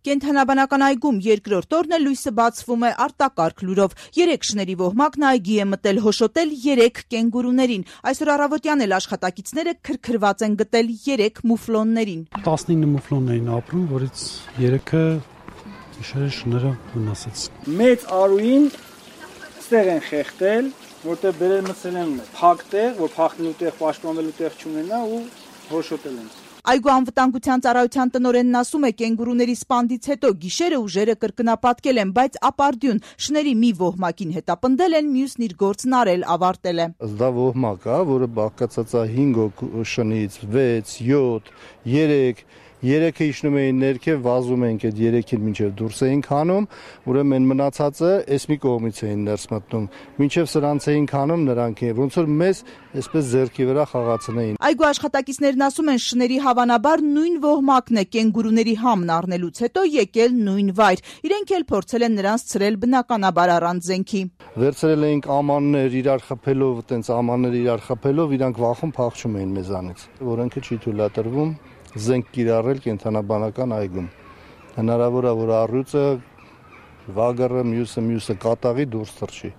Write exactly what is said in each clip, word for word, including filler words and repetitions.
Կենդանաբանական այգում երկրորդ օրն է լույսը բացվում է արտակարգ լուրով։ Երեք շների ոհմակն այգի է մտել հոշոտել երեք կենգուրուներին։ Այսօր առավոտյան էլ աշխատակիցները քրքրված են գտել երեք մուֆլոններին։ տասնինը մուֆլոններին ապրում, որից երեքը գիշերը շները վնասեց։ Մեծ արուին ստեղ են խեղտել, որտեղ բերել մտցել են փակ տեղ, որ փախնելու տեղ, պաշտպանվելու տեղ չունենա ու հոշոտել են։ Այգու անվտանգության ծառայության տնօրենն ասում է, կենգուրուների սպանդից հետո գիշերը ուժերը կրկնապատկել են, բայց ապարդյուն շների մի ոհմակին հետապնդել են, մյուսն իր գործն արել ավարտել է։ Դա ոհմակ է, որը բաղկացած է հինգ շնից, վեց, յոթ, երեք, երեքը իջնում էին ներքև, վազում ենք այդ երեքին մինչև դուրս էինք հանում, ուրեմն մնացածը էս մի կողմից էին ներս մտնում, մինչև սրանց էինք հանում նրանք, ոնց որ մեզ այսպես ձեռքի վրա խաղացնեին։ Այգու աշխատակիցներն ասում են, շների հավանաբար նույն ոհմակն է կենգուրուների համն առնելուց հետո եկել նույն վայր։ Իրենք էլ փորձել են նրանց ցրել բնականաբար առանց զենքի։ Վերցրել էինք ամաններ իրար խփելով, այտենց ամաններ իրար խփելով, իրանք վախում փախչում էին մեզանից։ Որոնքը չի թույլատրվում զենք կիրառել կենդանաբանական այգում։ Հնարավոր է, որ առյուծը, վագրը, մյուսը, մյուսը կատաղի դուրս թռչի։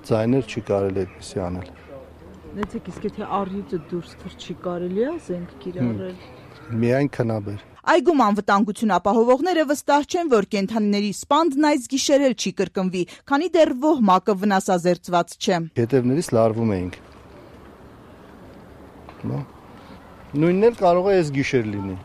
Ձայներ չի կարելի այդպիսի անել։ Նեցեք, իսկ եթե առյուծը դուրս թռչի, կարելի է զենք կիրառել։ Միայն քնաբեր։ Այգում անվտանգություն ապահովողները վստահ չեն, որ կենդանիների սպանդն այս գիշեր էլ չի կրկնվի, քանի դեռ ոհմակը վնասազերծված չէ։ Հետևներից լարվում էինք։ Նույնն էլ կարող է այս գիշեր լինի,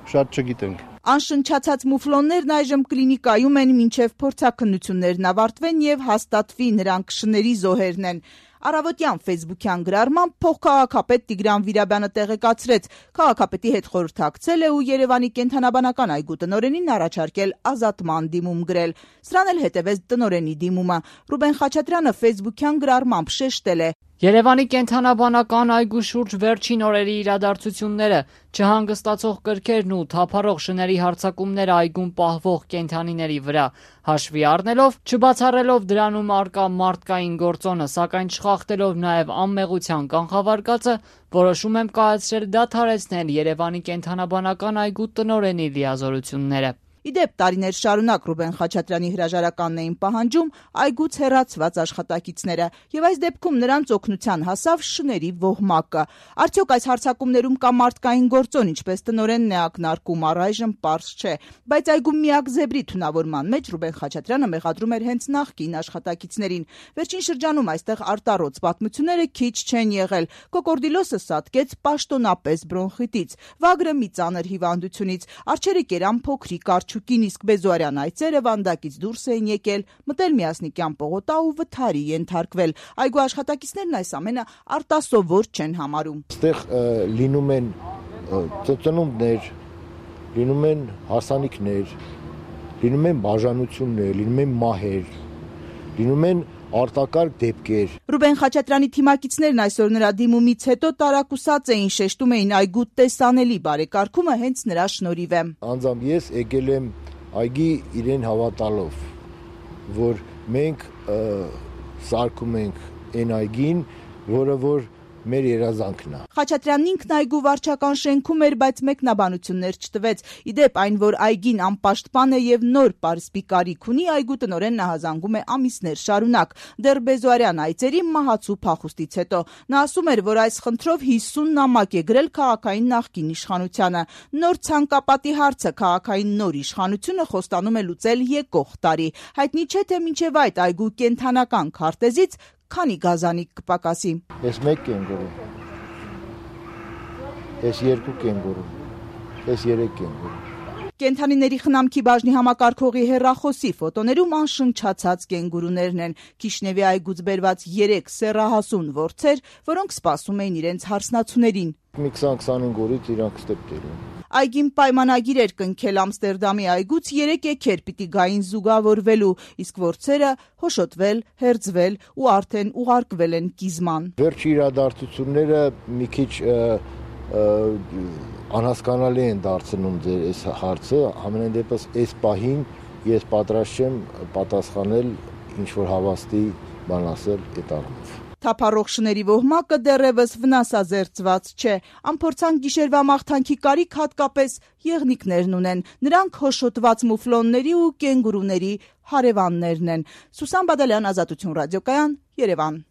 շատ չգիտենք։ Անշնչացած մուֆլոններն այժմ կլինիկայում են, մինչև փորձաքննություններն ավարտվեն եւ հաստատվի նրանք շների զոհերն են։ Առավոտյան ֆեյսբուքյան գրառմամբ փոխքաղաքապետ Տիգրան Վիրաբյանը տեղեկացրեց, քաղաքապետի հետ խորհրդակցել է ու Երևանի կենդանաբանական այգու տնօրենին առաջարկել ազատման դիմում գրել։ Սրան էլ հետևեց տնօրենի դիմումը։ Ռուբեն Խաչատրյանը ֆեյսբուքյան գրառմամբ շեշտել է. Երևանի կենդանաբանական այգու շուրջ վերջին օրերի իրադարձությունները, չհանգստացող կրքերն ու թափառող շների հարձակումները այգում պահվող կենդանիների վրա հաշվի առնելով, չբացառելով դրանում առկա մարդկային գործոնը, սակայն չխախտելով նաև անմեղության կանխավարկածը, որոշում եմ կայացրել դադարեցնել Երևանի կենդանաբանական այգու տնօրենի լիազորությունները։ Իդեպ տարիներ շարունակ Ռուբեն Խաչատրյանի հրաժարականն էին պահանջում այգուց հեռացված աշխատակիցները, եւ այս դեպքում նրանց օգնության հասավ շների ոհմակը։ Արդյոք այս հարձակումներում կա մարդկային գործոն, ինչպես տնօրենն է ակնարկում, առայժմ պարզ չէ, բայց այգու միակ զեբրի թունավորման մեջ Ռուբեն Խաչատրյանը մեղադրում էր հենց նախկին աշխատակիցներին։ Վերջին շրջանում այստեղ արտառոց պատմությունները քիչ չեն եղել։ Կոկորդիլոսը սատկեց պաշտոնապես բրոնխիտից, վագրը մի ծանր հիվանդությունից, արջերը կերան փոքրիկ արջուկին, իսկ Բեզոարյան այծերը վանդակից դուրս էին եկել, մտել Միասնիկյան պողոտա ու վթարի ենթարկվել։ Այգու աշխատակիցներն այս ամենը արտասովոր չեն համարում։ Այստեղ լինում են ծնունդներ, լինում են հարսանիքներ, լինում են բաժանություններ, լինում են մահեր, լինում են արտակարգ դեպքեր։ Ռուբեն Խաչատրյանի թիմակիցներն այսօր նրա դիմումից հետո տարակուսած էին, շեշտում էին այգու տեսանելի բարեկարգումը հենց նրա շնորհիվ է։ Անձամբ ես եկել եմ այգի իրեն հավատալով, որ մենք սարքում ենք այն այգին, որը որ մեր երազանքն է։ Խաչատրյանն ինքն այգու վարչական շենքում էր, բայց մեկնաբանություններ չտվեց։ Իդեպ այն, որ այգին անպաշտպան է եւ նոր պարսպի կարիք ունի, այգու տնօրենն հազանգում է ամիսներ շարունակ, դեռ Բեզոարյան այծերի մահացու փախուստից հետո։ Նա ասում էր, որ այս խնդրով հիսուն նամակ է գրել քաղաքային նախկին իշխանությանը։ Նոր ցանկապատի հարցը քաղաքային նոր իշխանությունը խոստանում է լուծել եկող տարի։ Հայտնի չէ, թե մինչև այդ այգու կենդանական քարտեզից քանի գազանիկ կպակասի։ Ես մեկ կենգուրու, ես երկու կենգուրու, ես երեք կենգուրու։ Կենդանիների խնամքի բաժնի համակարգողի հեռախոսի ֆոտոներում անշնչացած կենգուրուներն են, Քիշնևի այգուց բերված երեք սեռահասուն որձեր, որոնք սպասում էին իրենց հարսնացուներին։ Մի քսան-քսանհինգ օրից իրանք ստեպտեր են։ Այգին պայմանագիր էր կնքել Ամստերդամի այգուց երեք էքեր պիտի գային զուգավորվելու, իսկ որձերը հոշոտվել, հերձվել ու արդեն ուղարկվել են կիզման։ Վերջի իրադարձությունները մի քիչ անհասկանալի են դարձնում ձեր այս հարցը, ամենայն դեպս այս պահին ես պատրաստ չեմ պատասխանել ինչ որ հավաստի բան ասել այդ առումով։ Թափառող շների ոհմակը դեռևս վնասազերծված չէ։ Անփորձանք գիշերվա մաղթանքի կարիք հատկապես եղնիկներն ունեն։ Նրանք հոշոտված մուֆլոնների ու կենգուրուների հարևաններն են։ Սուսան Բադալյան, Ազատություն ռադիոկայան, Երևան։